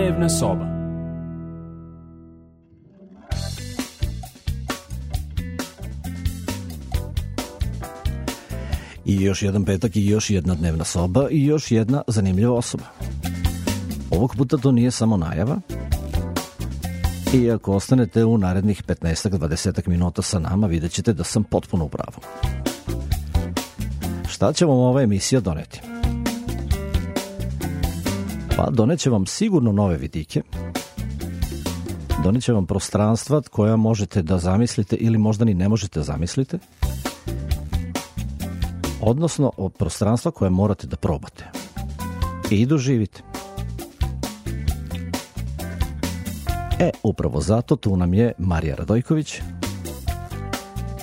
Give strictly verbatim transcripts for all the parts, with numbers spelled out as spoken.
Dnevna soba. I još jedan petak i još jedna dnevna soba i još jedna zanimljiva osoba. Ovog puta to nije samo najava. I ako ostanete u narednih petnaest do dvadeset minuta sa nama, vidjet ćete da sam potpuno u pravu. Šta će vam ova emisija doneti? Pa doneće vam sigurno nove vidike, doneće vam prostranstva koja možete da zamislite ili možda ni ne možete zamislite, odnosno prostranstva koje morate da probate i doživite. E, upravo zato tu nam je Marija Radojković.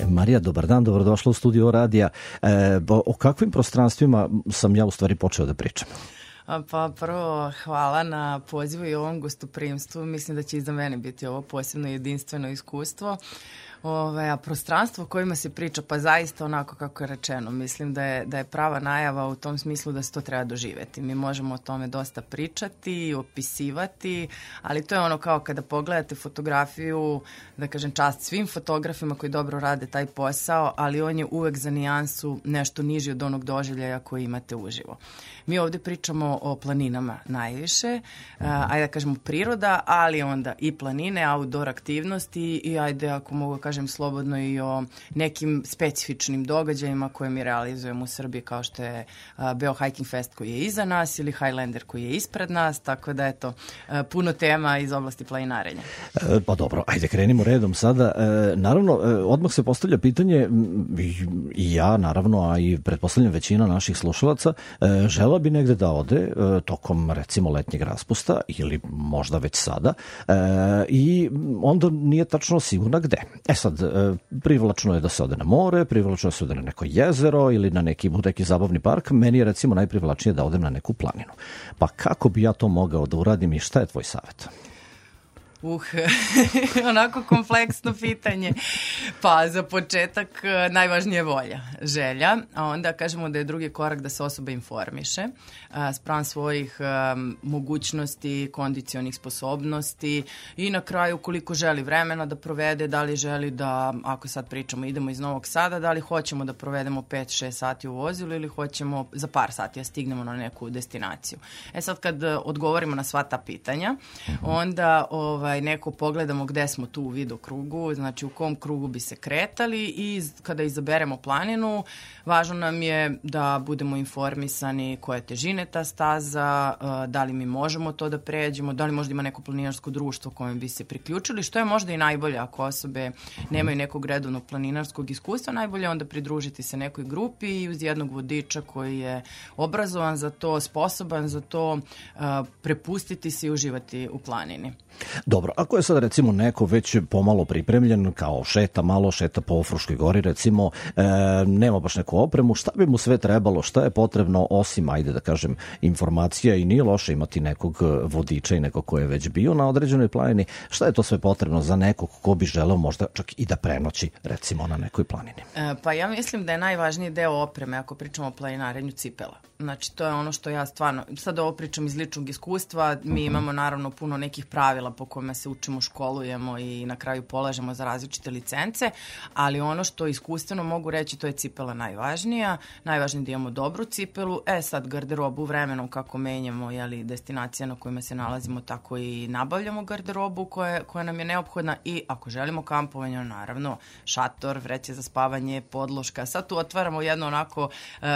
Marija, dobar dan, dobrodošla u studio radija. E, o kakvim prostranstvima sam ja u stvari počeo da pričam? Pa prvo, hvala na pozivu i ovom gostoprimstvu. Mislim da će i za mene biti ovo posebno jedinstveno iskustvo. Ove, a prostranstvo o kojima se priča, pa zaista onako kako je rečeno, mislim da je, da je prava najava u tom smislu da se to treba doživeti. Mi možemo o tome dosta pričati, opisivati, ali to je ono kao kada pogledate fotografiju, da kažem čast svim fotografima koji dobro rade taj posao, ali on je uvek za nijansu nešto niži od onog doživljaja koji imate uživo. Mi ovde pričamo o planinama najviše, ajde da kažemo priroda, ali onda i planine, outdoor aktivnosti i ajde ako mogu kažem slobodno i o nekim specifičnim događajima koje mi realizujemo u Srbiji, kao što je uh, Beo Hiking Fest koji je iza nas ili Highlander koji je ispred nas, tako da eto, uh, puno tema iz oblasti planinarenja. E, pa dobro, ajde krenimo redom sada. E, naravno, e, odmah se postavlja pitanje, i, i ja naravno, a i pretpostavljam većina naših slušalaca, e, žela bi negde da ode e, tokom recimo letnjeg raspusta ili možda već sada e, i onda nije tačno sigurna gde. E sad, privlačno je da se ode na more, privlačno je da se ode na neko jezero ili na neki, neki zabavni park. Meni je recimo najprivlačnije da odem na neku planinu. Pa kako bi ja to mogao da uradim i šta je tvoj savjet? Uh, onako kompleksno pitanje. Pa za početak najvažnije je volja, želja, a onda kažemo da je drugi korak da se osoba informiše spram svojih um, mogućnosti, kondicionih sposobnosti i na kraju koliko želi vremena da provede, da li želi da, ako sad pričamo idemo iz Novog Sada, da li hoćemo da provedemo pet šest sati u vozilu ili hoćemo za par sati da stignemo na neku destinaciju. E sad kad odgovorimo na sva ta pitanja, onda ovaj, neko pogledamo gde smo tu u vidokrugu, znači u kom krugu bi se kretali i kada izaberemo planinu, važno nam je da budemo informisani koja je težine ta staza, da li mi možemo to da pređemo, da li možda ima neko planinarsko društvo kojem bi se priključili, što je možda i najbolje ako osobe nemaju nekog redovnog planinarskog iskustva, najbolje je onda pridružiti se nekoj grupi i uz jednog vodiča koji je obrazovan za to, sposoban za to, prepustiti se i uživati u planini. Dobro, ako je sad recimo neko već pomalo pripremljen, kao šeta malo, šeta po Fruškoj gori recimo, e, nema baš neku opremu, šta bi mu sve trebalo, šta je potrebno osim, ajde da kažem, informacija i nije loše imati nekog vodiča i nekog ko je već bio na određenoj planini, šta je to sve potrebno za nekog ko bi želeo možda čak i da prenoći recimo na nekoj planini? E, pa ja mislim da je najvažniji deo opreme ako pričamo o planinarenju cipela. Znači to je ono što ja stvarno, sad ovo pričam iz ličnog iskustva, mi imamo naravno puno nekih pravila po kojima se učimo, školujemo i na kraju polažemo za različite licence, ali ono što iskustveno mogu reći to je cipela najvažnija, najvažnije da imamo dobru cipelu, e sad garderobu vremenom kako menjamo jeli, destinacija na kojima se nalazimo, tako i nabavljamo garderobu koja, koja nam je neophodna i ako želimo kampovanje, naravno šator, vreće za spavanje, podloška, sad tu otvaramo jedno onako uh,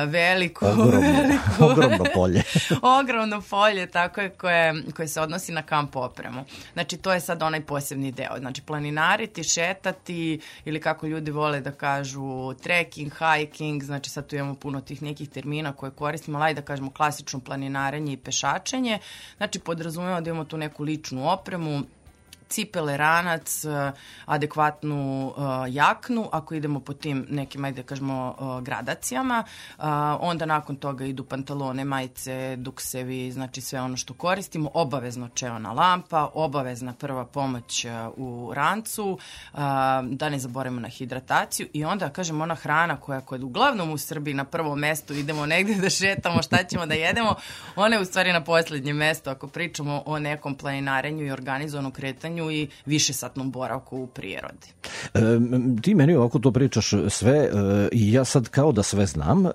veliko, ogromno, ogromno polje. ogromno polje, tako je, koje, koje se odnosi na kamp opremu. Znači, to je sad onaj posebni deo. Znači, planinariti, šetati ili kako ljudi vole da kažu trekking, hiking, znači sad tu imamo puno tih nekih termina koje koristimo, ali da kažemo klasično planinarenje i pešačenje. Znači, podrazumemo da imamo tu neku ličnu opremu, cipele, ranac, adekvatnu jaknu, ako idemo po tim nekim, ajde kažemo, gradacijama, onda nakon toga idu pantalone, majice, duksevi, znači sve ono što koristimo, obavezno čeona lampa, obavezna prva pomoć u rancu, da ne zaboravimo na hidrataciju i onda, kažem, ona hrana koja kod uglavnom u Srbiji na prvom mestu idemo negde da šetamo, šta ćemo da jedemo, ona je u stvari na poslednje mesto ako pričamo o nekom planinarenju i organizovanom kretanju i višesatnom boravku u prirodi. E, ti meni ovako to pričaš sve e, i ja sad kao da sve znam, e,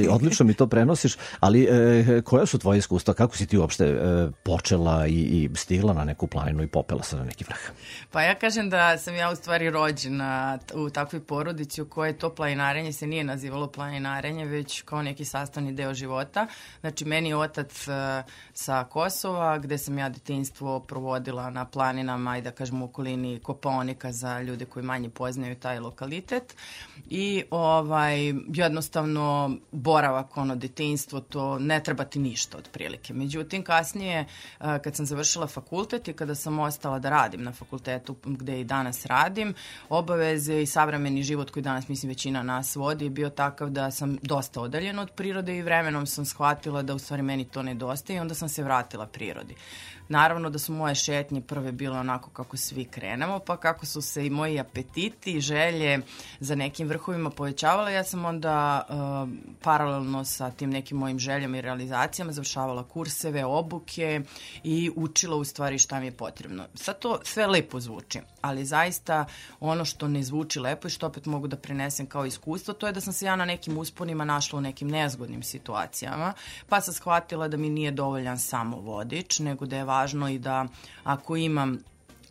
odlično mi to prenosiš, ali e, koja su tvoje iskustva, kako si ti uopšte e, počela i, i stigla na neku planinu i popela se na neki vrh? Pa ja kažem da sam ja u stvari rođena u takvoj porodici u kojoj to planinarenje se nije nazivalo planinarenje, već kao neki sastavni deo života. Znači, meni je otac uh, sa Kosova, gde sam ja detinjstvo provodila na planinama i da kažem u okolini Kopaonika za ljude koji manje poznaju taj lokalitet. I ovaj, jednostavno boravak, ono, detinjstvo, to ne treba ti ništa otprilike. Međutim, kasnije, uh, kad sam završila fakultet i kada sam ostala da radim na fakultetu gde i danas radim, obaveze i savremeni život koji danas, mislim, većina nas vodi je bio takav da sam dosta odaljena od prirode i vremenom sam shvatila da u stvari meni to nedostaje i onda sam se vratila prirodi. Naravno da su moje šetnje prve bile onako kako svi krenemo, pa kako su se i moji apetiti i želje za nekim vrhovima povećavale, ja sam onda uh, paralelno sa tim nekim mojim željama i realizacijama završavala kurseve, obuke i učila u stvari šta mi je potrebno. Sad to sve lepo zvuči, ali zaista ono što ne zvuči lepo i što opet mogu da prenesem kao iskustvo, to je da sam se ja na nekim usponima našla u nekim nezgodnim situacijama, pa sam shvatila da mi nije dovoljan samo vodič, nego da je važno i da ako imam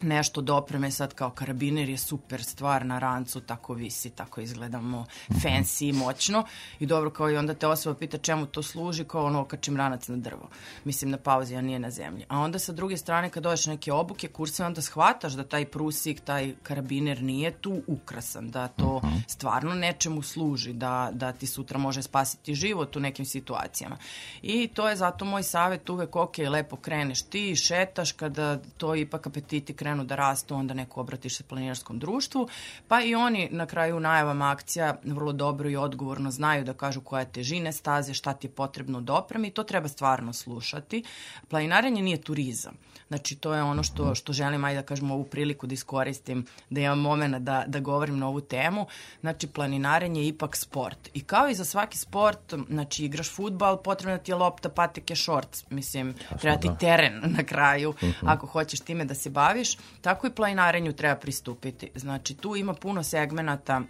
nešto dopreme, sad kao karabiner je super stvar na rancu, tako visi, tako izgledamo fancy i moćno i dobro, kao i onda te osoba pita čemu to služi, kao ono okačim ranac na drvo. Mislim, na pauzi, a nije na zemlji. A onda sa druge strane kad dođeš neke obuke, kurse, onda shvataš da taj prusik, taj karabiner nije tu ukrasan, da to stvarno nečemu služi, da, da ti sutra može spasiti život u nekim situacijama. I to je zato moj savjet uvek, ok, lepo kreneš ti, šetaš, kada to ipak apetiti krenu da rastu, onda neko obratiš se planinarskom društvu, pa i oni na kraju najavama akcija vrlo dobro i odgovorno znaju da kažu koja je težine staze, šta ti je potrebno da opremi i to treba stvarno slušati. Planinarenje nije turizam. Znači, to je ono što, što želim, ajde da kažem, ovu priliku da iskoristim, da imam momena da, da govorim na ovu temu. Znači, planinarenje je ipak sport. I kao i za svaki sport, znači, igraš fudbal, potrebna ti je lopta, patike, šorc. Mislim, treba ti teren na kraju, uh-huh. ako hoćeš time da se baviš. Tako i planinarenju treba pristupiti. Znači, tu ima puno segmenata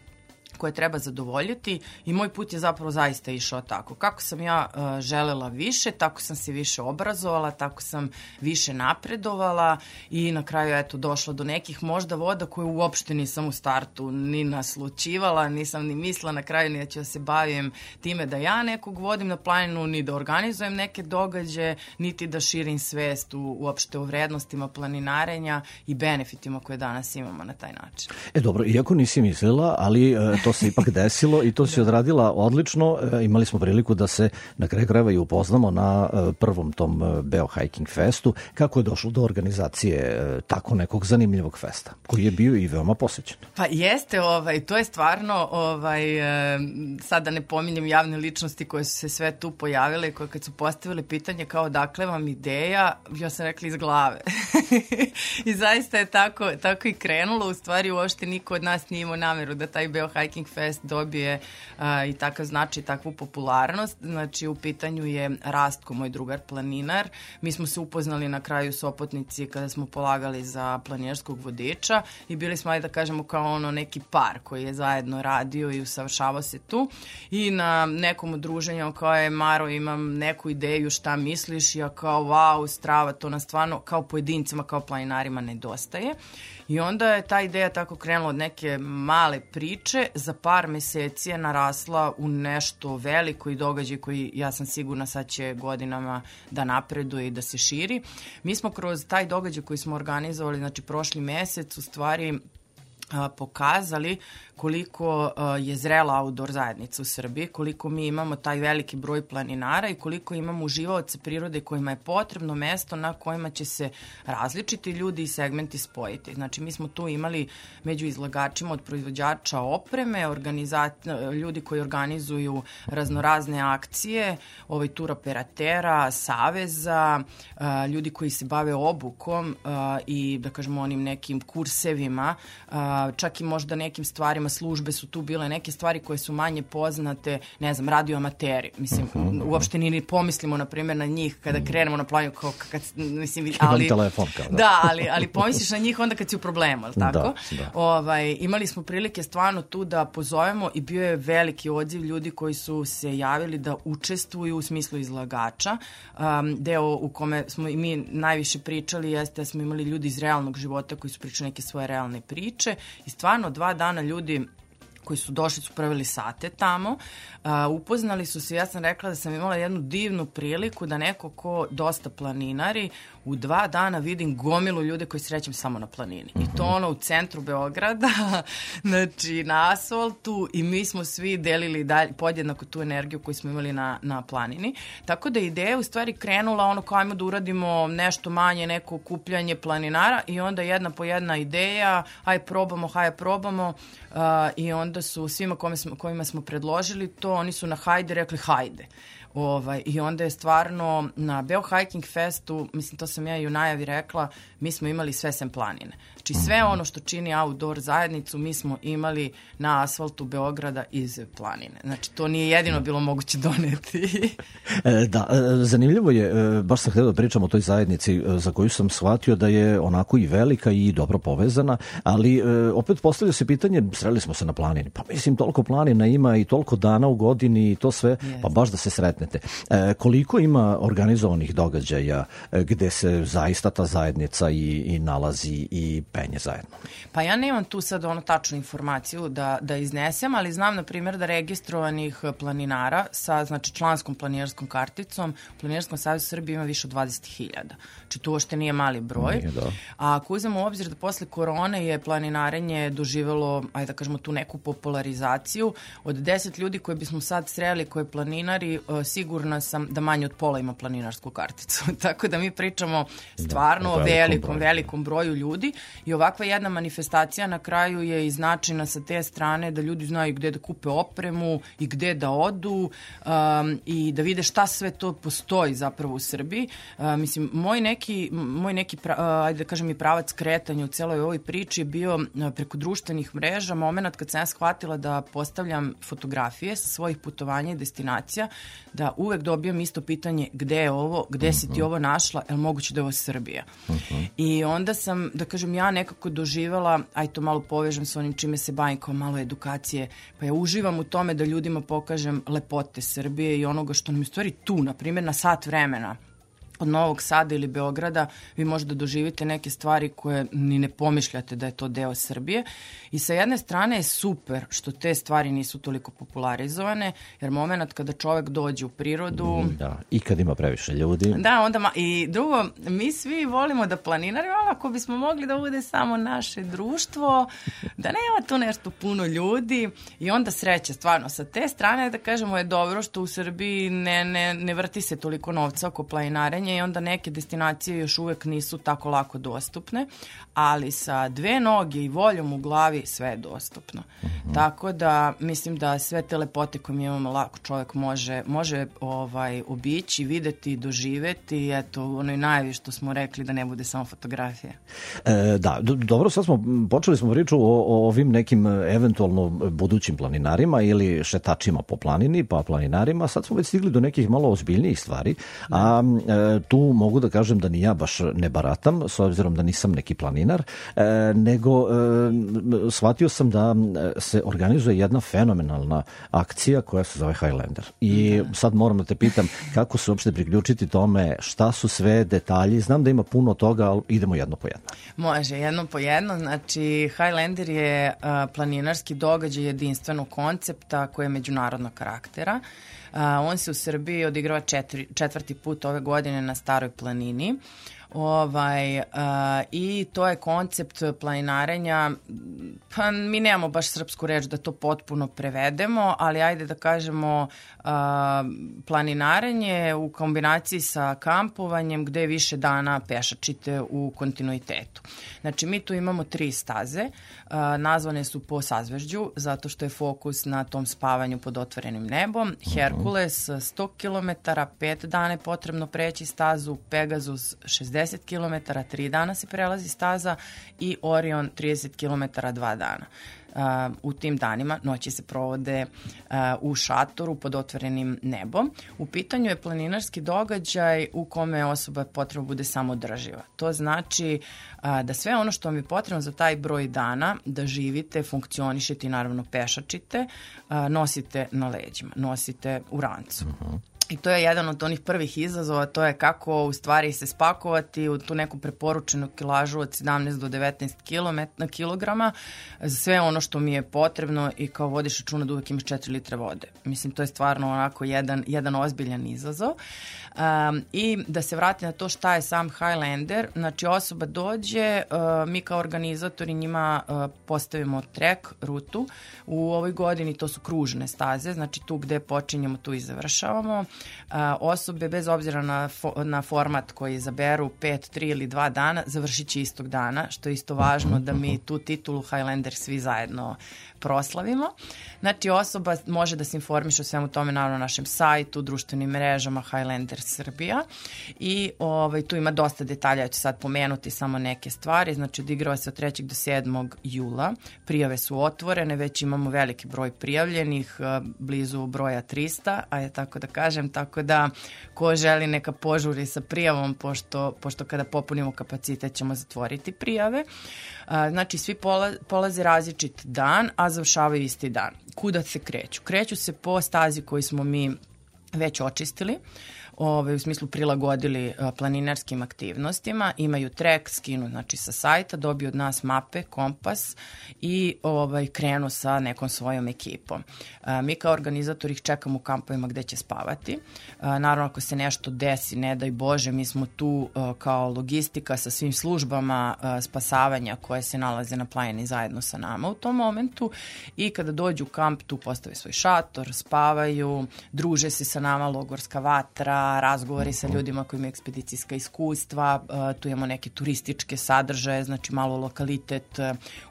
koje treba zadovoljiti i moj put je zapravo zaista išao tako. Kako sam ja uh, želela više, tako sam se više obrazovala, tako sam više napredovala i na kraju eto došla do nekih možda voda koje uopšte nisam u startu ni naslućivala, nisam ni mislila na kraju ni da ću da se bavim time da ja nekog vodim na planinu, ni da organizujem neke događaje, niti da širim svest u, uopšte o vrednostima planinarenja i benefitima koje danas imamo na taj način. E dobro, iako nisi mislila, ali uh, to se ipak desilo i to si odradila odlično. E, imali smo priliku da se na kraju krajeva i upoznamo na e, prvom tom e, Beo Hiking Festu. Kako je došlo do organizacije e, tako nekog zanimljivog festa, koji je bio i veoma posvećen? Pa jeste, ovaj, to je stvarno, ovaj, e, sad da ne pominjem javne ličnosti koje su se sve tu pojavile, koje kad su postavile pitanje kao dakle vam ideja, ja sam rekla iz glave. I zaista je tako, tako i krenulo. U stvari uopšte niko od nas nije imao nameru da taj Beo Hiking Fest dobije a, i takav značaj, takvu popularnost. Znači, u pitanju je Rastko, moj drugar planinar. Mi smo se upoznali na kraju Sopotnici kada smo polagali za planinarskog vodiča i bili smo, ajde da kažemo, kao ono neki par koji je zajedno radio i usavršavao se tu. I na nekom udruženju kao je Maro, imam neku ideju šta misliš, ja kao wow, strava, to nas stvarno kao pojedincima, kao planinarima nedostaje. I onda je ta ideja tako krenula od neke male priče, za par meseci je narasla u nešto veliko i događaj koji ja sam sigurna sad će godinama da napreduje i da se širi. Mi smo kroz taj događaj koji smo organizovali, znači prošli mesec, u stvari pokazali koliko je zrela outdoor zajednica u Srbiji, koliko mi imamo taj veliki broj planinara i koliko imamo uživaoce prirode kojima je potrebno mesto na kojima će se različiti ljudi i segmenti spojiti. Znači, mi smo tu imali među izlagačima od proizvođača opreme, ljudi koji organizuju raznorazne akcije, ovaj tur operatera, saveza, ljudi koji se bave obukom i, da kažemo, onim nekim kursevima, čak i možda nekim stvarima, službe su tu bile, neke stvari koje su manje poznate, ne znam, radioamateri. Mislim, uh-huh. uopšte ni pomislimo, na primjer, na njih kada krenemo na planinu, kao kad, mislim, ali... telefon, kao da. Da, ali, ali pomisliš na njih onda kad si u problemu, ali tako? Da, da. Ovaj, imali smo prilike stvarno tu da pozovemo i bio je veliki odziv ljudi koji su se javili da učestvuju u smislu izlagača. Um, deo u kome smo i mi najviše pričali jeste da smo imali ljudi iz realnog života koji su pričali neke svoje realne priče i stvarno dva dana ljudi koji su došli su proveli sate tamo, uh, upoznali su se, ja sam rekla da sam imala jednu divnu priliku da neko ko dosta planinari, u dva dana vidim gomilu ljude koji srećem samo na planini. I to ono u centru Beograda, znači na asfaltu i mi smo svi delili dalje, podjednako tu energiju koju smo imali na, na planini. Tako da ideja je u stvari krenula ono kao ajmo da uradimo nešto manje, neko okupljanje planinara i onda jedna po jedna ideja, aj probamo, haj probamo uh, i onda su svima kome smo, kojima smo predložili to, oni su na hajde rekli hajde. Ovaj, i onda je stvarno na Beo Hiking Festu, mislim to sam ja i u najavi rekla, mi smo imali sve sem planine. Znači sve ono što čini outdoor zajednicu mi smo imali na asfaltu Beograda iz planine. Znači to nije jedino bilo moguće doneti. Da, zanimljivo je, baš sam htio da pričam o toj zajednici za koju sam shvatio da je onako i velika i dobro povezana, ali opet postavlja se pitanje, sreli smo se na planini, pa mislim toliko planina ima i toliko dana u godini i to sve, yes. Pa baš da se sretnete. Koliko ima organizovanih događaja gde se zaista ta zajednica i, i nalazi i penje zajedno? Pa ja nemam tu sad ono tačnu informaciju da, da iznesem, ali znam na primjer da registrovanih planinara sa znači članskom planinarskom karticom u Planinarskom savezu Srbije ima više od dvadeset hiljada. Znači to uopšte nije mali broj. Nije, da. A ako uzmemo u obzir da posle korone je planinarenje doživelo, ajde da kažemo, tu neku popularizaciju, od deset ljudi koje bismo sad sreli koje planinari, sigurna sam da manje od pola ima planinarsku karticu. Tako da mi pričamo stvarno da, o velikom, velikom broju. velikom broju ljudi i ovakva jedna manifestacija na kraju je i značajna sa te strane da ljudi znaju gde da kupe opremu i gde da odu um, i da vide šta sve to postoji zapravo u Srbiji. Uh, mislim, moj neki, moj neki pra, uh, ajde da kažem i pravac kretanja u celoj ovoj priči je bio uh, preko društvenih mreža, moment kad sam ja shvatila da postavljam fotografije sa svojih putovanja i destinacija, da uvek dobijam isto pitanje gde je ovo, gde uh-huh. si ti ovo našla, je li moguće da je ovo Srbija? Uh-huh. I onda sam, da kažem, ja nekako doživela, aj to malo povežem sa onim čime se bavim kao malo edukacije, pa ja uživam u tome da ljudima pokažem lepote Srbije i onoga što nam je u stvari tu, na primjer na sat vremena od Novog Sada ili Beograda, vi možete doživite neke stvari koje ni ne pomišljate da je to deo Srbije. I sa jedne strane je super što te stvari nisu toliko popularizovane, jer moment kada čovek dođe u prirodu... Da, i kad ima previše ljudi. Da, onda... Ma... I drugo, mi svi volimo da planinarimo, ako bismo mogli da bude samo naše društvo, da nema tu nešto puno ljudi i onda sreće, stvarno. Sa te strane, da kažemo, je dobro što u Srbiji ne, ne, ne vrti se toliko novca oko planinarenja i onda neke destinacije još uvek nisu tako lako dostupne, ali sa dve noge i voljom u glavi sve je dostupno. Uh-huh. Tako da mislim da sve te lepote koje mi imamo lako čovjek može, može ovaj, obići, videti, doživeti i eto, ono i najviše što smo rekli da ne bude samo fotografija. E, da, do, dobro, sad smo, počeli smo priču o, o ovim nekim eventualno budućim planinarima ili šetačima po planini, pa planinarima, sad smo već stigli do nekih malo ozbiljnijih stvari, a e, tu mogu da kažem da ni ja baš ne baratam, s obzirom da nisam neki planinar, e, nego e, shvatio sam da se organizuje jedna fenomenalna akcija koja se zove Highlander. I da. Sad moram da te pitam kako se uopšte priključiti tome, šta su sve detalji, znam da ima puno toga, ali idemo jedno po jedno. Može, jedno po jedno, znači Highlander je uh, planinarski događaj jedinstvenog koncepta koji je međunarodnog karaktera. On se u Srbiji odigrava četiri, četvrti put ove godine na Staroj planini. Ovaj, uh, i to je koncept planinarenja, pa mi nemamo baš srpsku reč da to potpuno prevedemo, ali ajde da kažemo uh, planinarenje u kombinaciji sa kampovanjem gde više dana pešačite u kontinuitetu. Znači mi tu imamo tri staze, uh, nazvane su po sazvežđu zato što je fokus na tom spavanju pod otvorenim nebom. Herkules sto kilometara, pet dana je potrebno preći stazu, Pegasus šezdeset kilometara, tri dana se prelazi staza i Orion trideset kilometara, dva dana. Uh, u tim danima noći se provode uh, u šatoru pod otvorenim nebom. U pitanju je planinarski događaj u kome osoba potrebno bude samodrživa. To znači uh, da sve ono što vam je potrebno za taj broj dana da živite, funkcionišete i naravno pešačite, uh, nosite na leđima, nosite u rancu. Uh-huh. I to je jedan od onih prvih izazova, to je kako u stvari se spakovati u tu neku preporučenu kilažu od sedamnaest do devetnaest kilograma za sve ono što mi je potrebno i kao vodiš računa da uvek imaš četiri litre vode. Mislim, to je stvarno onako jedan, jedan ozbiljan izazov. Um, I da se vrati na to šta je sam Highlander, znači osoba dođe, uh, mi kao organizatori njima uh, postavimo trek, rutu. U ovoj godini to su kružne staze, znači tu gde počinjemo, tu i završavamo. Uh, osobe, bez obzira na, fo, na format koji izaberu, pet, tri ili dva dana, završit će istog dana, što je isto važno da mi tu titulu Highlander svi zajedno proslavimo. Znači osoba može da se informiše o svemu tome naravno na našem sajtu, društvenim mrežama Highlander Srbija i ovaj, tu ima dosta detalja, ja ću sad pomenuti samo neke stvari, znači odigrava se od trećeg do sedmog jula, prijave su otvorene, već imamo veliki broj prijavljenih, blizu broja trista, a je tako da kažem, tako da ko želi neka požuri sa prijavom, pošto, pošto kada popunimo kapacitet ćemo zatvoriti prijave. Znači svi pola, polaze različit dan, a završavaju isti dan. Kuda se kreću? Kreću se po stazi koju smo mi već očistili, Ove, u smislu prilagodili a, planinarskim aktivnostima, imaju trek, skinu znači sa sajta, dobiju od nas mape, kompas i ovaj, krenu sa nekom svojom ekipom. A, mi kao organizatori ih čekamo u kampovima gde će spavati. A, naravno ako se nešto desi, ne daj Bože, mi smo tu a, kao logistika sa svim službama a, spasavanja koje se nalaze na planini zajedno sa nama u tom momentu i kada dođu u kamp tu postave svoj šator, spavaju, druže se sa nama, logorska vatra, razgovori sa ljudima koji imaju ekspedicijska iskustva, tu imamo neke turističke sadržaje, znači malo lokalitet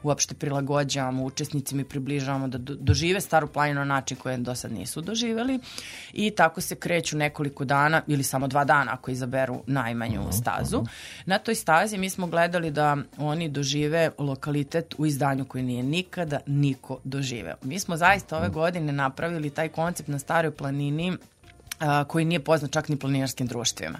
uopšte prilagođavamo učesnicima i približavamo da dožive Staru planinu na način koje do sad nisu doživeli i tako se kreću nekoliko dana ili samo dva dana ako izaberu najmanju stazu. Na toj stazi mi smo gledali da oni dožive lokalitet u izdanju koji nije nikada niko doživeo. Mi smo zaista ove godine napravili taj koncept na Staroj planini koji nije poznat čak ni planinarskim društvima.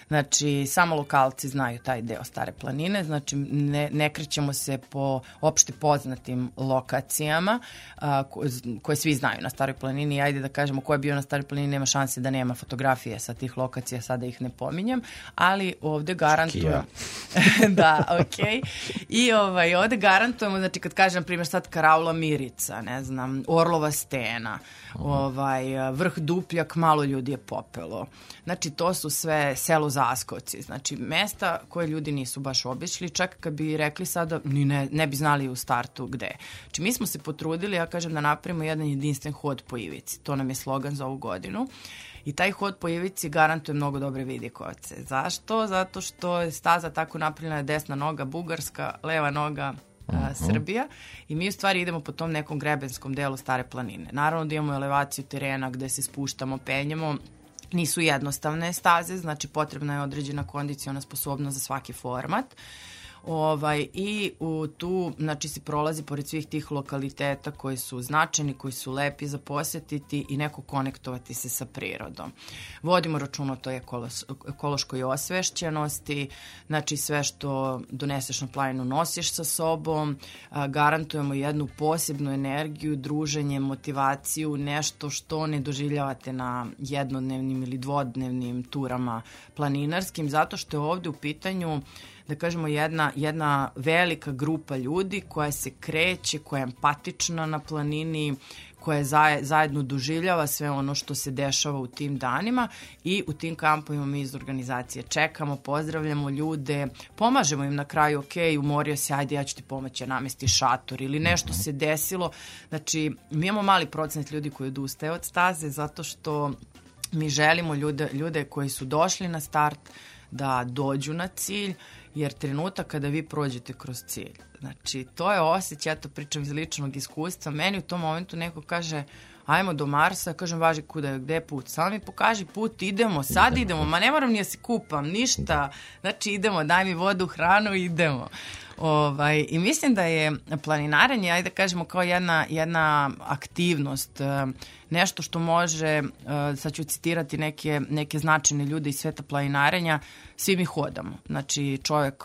Znači, samo lokalci znaju taj deo Stare planine, znači ne, ne krećemo se po opšte poznatim lokacijama a, ko, koje svi znaju na Staroj planini. Ajde da kažemo ko je bio na Staroj planini, nema šanse da nema fotografije sa tih lokacija, sada ih ne pominjem, ali ovde garantujemo... da, okej. Okay. I ovaj, ovde garantujemo, znači kad kažem, na primjer, sad Karaula Mirica, ne znam, Orlova stena, ovaj, vrh Dupljak, malo ljudi je popelo. Znači, to su sve selo Zaskoci, znači mesta koje ljudi nisu baš obišli, čak kad bi rekli sada, ni ne, ne bi znali u startu gde. Znači mi smo se potrudili, ja kažem da napravimo jedan jedinstven hod po Ivici, to nam je slogan za ovu godinu. I taj hod po Ivici garantuje mnogo dobre vidikovce. Zašto? Zato što je staza tako napravljena, desna noga Bugarska, leva noga a, Srbija i mi u stvari idemo po tom nekom grebenskom delu Stare planine. Naravno da imamo elevaciju terena gde se spuštamo, penjemo. Nisu jednostavne staze, znači potrebna je određena kondiciona sposobnost za svaki format. Ovaj, i u tu, znači, se prolazi pored svih tih lokaliteta koji su značajni, koji su lepi za posetiti i neko konektovati se sa prirodom. Vodimo račun o toj ekološkoj osvešćenosti, znači sve što doneseš na planinu nosiš sa sobom, a, garantujemo jednu posebnu energiju, druženje, motivaciju, nešto što ne doživljavate na jednodnevnim ili dvodnevnim turama planinarskim, zato što je ovde u pitanju da kažemo jedna, jedna velika grupa ljudi koja se kreće, koja je empatična na planini, koja zajedno doživljava sve ono što se dešava u tim danima i u tim kampovima mi iz organizacije čekamo, pozdravljamo ljude, pomažemo im na kraju, ok, umorio se, ajde ja ću ti pomoći, namesti šator ili nešto se desilo. Znači, mi imamo mali procenat ljudi koji odustaje od staze zato što mi želimo ljude, ljude koji su došli na start da dođu na cilj, jer trenutak kada vi prođete kroz cilj, znači to je osjećaj, ja to pričam iz ličnog iskustva, meni u tom momentu neko kaže ajmo do Marsa, kažem važi kuda je, gde je put, samo mi pokaži put, idemo, sad idemo, ma ne moram ni da se kupam, ništa, znači idemo, daj mi vodu, hranu, idemo. Ovaj, i mislim da je planinarenje, ajde da kažemo kao jedna, jedna aktivnost, nešto što može, sad ću citirati neke, neke značajne ljude iz sveta planinarenja, svi mi hodamo. Znači čovjek,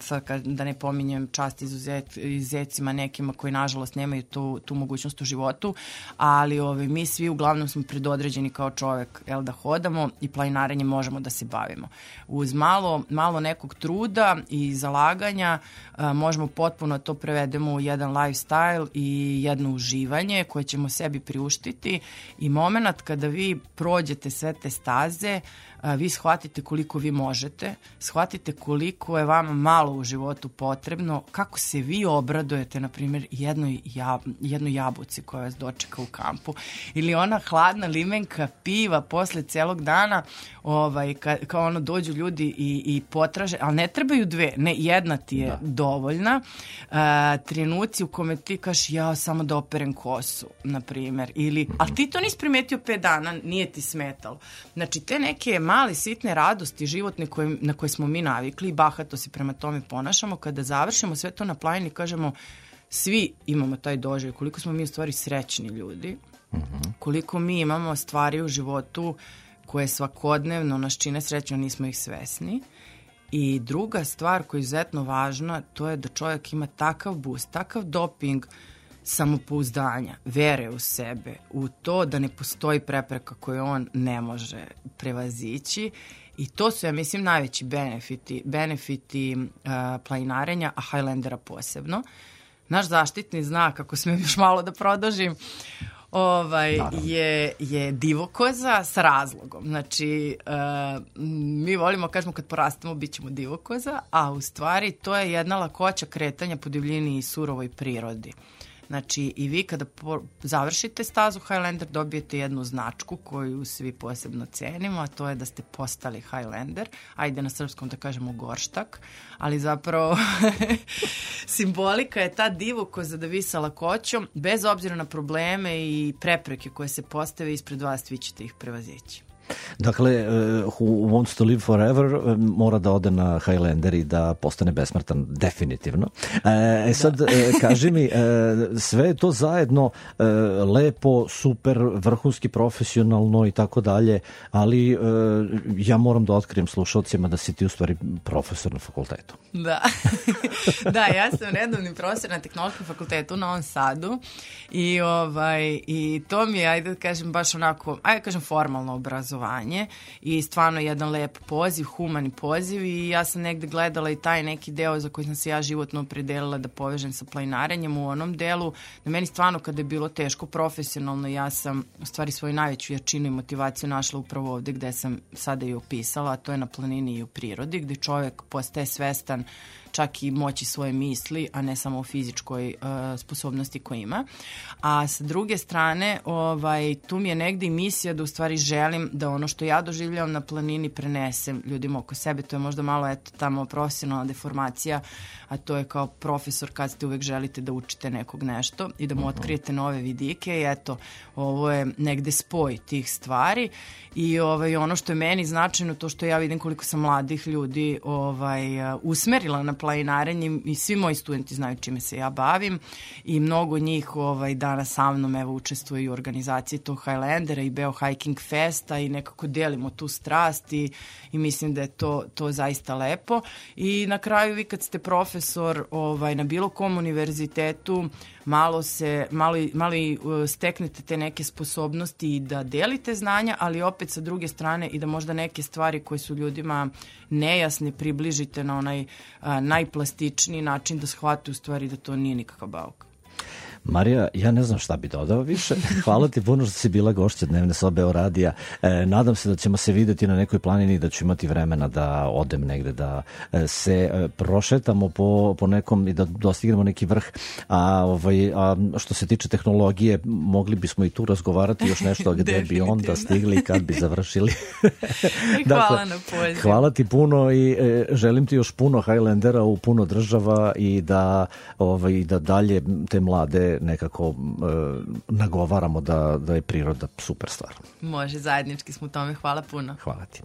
sad da ne pominjem čast izuzet, izuzecima nekima koji nažalost nemaju tu, tu mogućnost u životu, ali ovaj, mi svi uglavnom smo predodređeni kao čovjek jel, da hodamo i planinarenjem možemo da se bavimo. Uz malo, malo nekog truda i zalaganja a, možemo potpuno to prevedemo u jedan lifestyle i jedno uživanje koje ćemo sebi priuštiti i moment kada vi prođete sve te staze, a, vi shvatite koliko vi možete, shvatite koliko je vama malo u životu potrebno, kako se vi obradujete, na primjer, jednoj, jab, jednoj jabuci koja vas dočeka u kampu ili ona hladna limenka piva posle celog dana, ovaj, ka, kao ono dođu ljudi i, i potraže, ali ne trebaju dve, ne, jedna ti je da. dovoljna. A, trenuci u kome ti kaš ja samo da operem kosu, na primjer, ili, ali ti to nisi primetio pet dana, nije ti smetalo. Znači, te neke male, sitne radosti životne koje, na koje smo mi navikli i bahato se prema tome ponašamo, kada završimo sve to na planini, kažemo, svi imamo taj doživljaj, koliko smo mi u stvari srećni ljudi, uh-huh. koliko mi imamo stvari u životu koje svakodnevno nas čine srećno, nismo ih svesni. I druga stvar koja je izuzetno važna, to je da čovjek ima takav boost, takav doping samopouzdanja, vere u sebe, u to da ne postoji prepreka koju on ne može prevazići i to su, ja mislim, najveći benefiti, benefiti uh, planinarenja, a Highlandera posebno. Naš zaštitni znak, ako smijem još malo da produžim, ovaj, je, je divokoza sa razlogom. Znači, uh, mi volimo, kažemo, kad porastemo, bit ćemo divokoza, a u stvari to je jedna lakoća kretanja po divljini i surovoj prirodi. Znači, i vi kada po, završite stazu Highlander, dobijete jednu značku koju svi posebno cenimo, a to je da ste postali Highlander. Ajde na srpskom da kažemo gorštak, ali zapravo simbolika je ta divokoza da vi sa lakoćom, bez obzira na probleme i prepreke koje se postave ispred vas, vi ćete ih prevazići. Dakle, uh, who wants to live forever uh, mora da ode na Highlander i da postane besmrtan, definitivno. E, sad, uh, kaži mi, uh, sve je to zajedno uh, lepo, super, vrhunski, profesionalno i tako dalje, ali uh, ja moram da otkrijem slušalcima da si ti u stvari profesor na fakultetu. Da, da, ja sam redovni profesor na Tehnološkom fakultetu u Novom Sadu i, ovaj, i to mi je, ajde da kažem, baš onako, ajde da kažem, formalno obrazovanje i stvarno jedan lep poziv, humani poziv i ja sam negde gledala i taj neki deo za koji sam se ja životno opredelila da povežem sa planinarenjem u onom delu. Na meni stvarno kada je bilo teško profesionalno, ja sam u stvari svoju najveću jačinu i motivaciju našla upravo ovde gde sam sada i opisala, a to je na planini i u prirodi, gde čovjek postaje svestan čak i moći svoje misli, a ne samo o fizičkoj uh, sposobnosti koju ima. A sa druge strane, ovaj, tu mi je negde i misija da u stvari želim da ono što ja doživljavam na planini prenesem ljudima oko sebe. To je možda malo, eto, tamo profesionalna deformacija, a to je kao profesor kad ste uvek želite da učite nekog nešto i da mu otkrijete nove vidike i eto, ovo je negde spoj tih stvari i ovaj, ono što je meni značajno, to što ja vidim koliko sam mladih ljudi ovaj, usmerila na planinarenje i svi moji studenti znaju čime se ja bavim i mnogo njih ovaj, danas sa mnom evo, učestvuju u organizaciji tog Highlandera i Beo Hiking Festa i nekako delimo tu strast i, i mislim da je to, to zaista lepo i na kraju vi kad ste profesor ovaj, na bilo kom univerzitetu malo se, malo, malo steknete te neke sposobnosti i da delite znanja, ali opet sa druge strane i da možda neke stvari koje su ljudima nejasne približite na onaj a, najplastičniji način da shvate u stvari da to nije nikakav bauk. Marija, ja ne znam šta bi dodao više. Hvala ti puno što si bila gošća Dnevne sobe o radija. E, nadam se da ćemo se videti na nekoj planini i da ću imati vremena da odem negde, da se prošetamo po, po nekom i da dostignemo neki vrh. A, ovaj, a što se tiče tehnologije, mogli bismo i tu razgovarati još nešto gde bi onda stigli i kad bi završili. Hvala dakle, na pozivu. Hvala ti puno i e, želim ti još puno Highlandera u puno država i da, ovaj, da dalje te mlade nekako e, nagovaramo da, da je priroda super stvar. Može, zajednički smo u tome. Hvala puno. Hvala ti.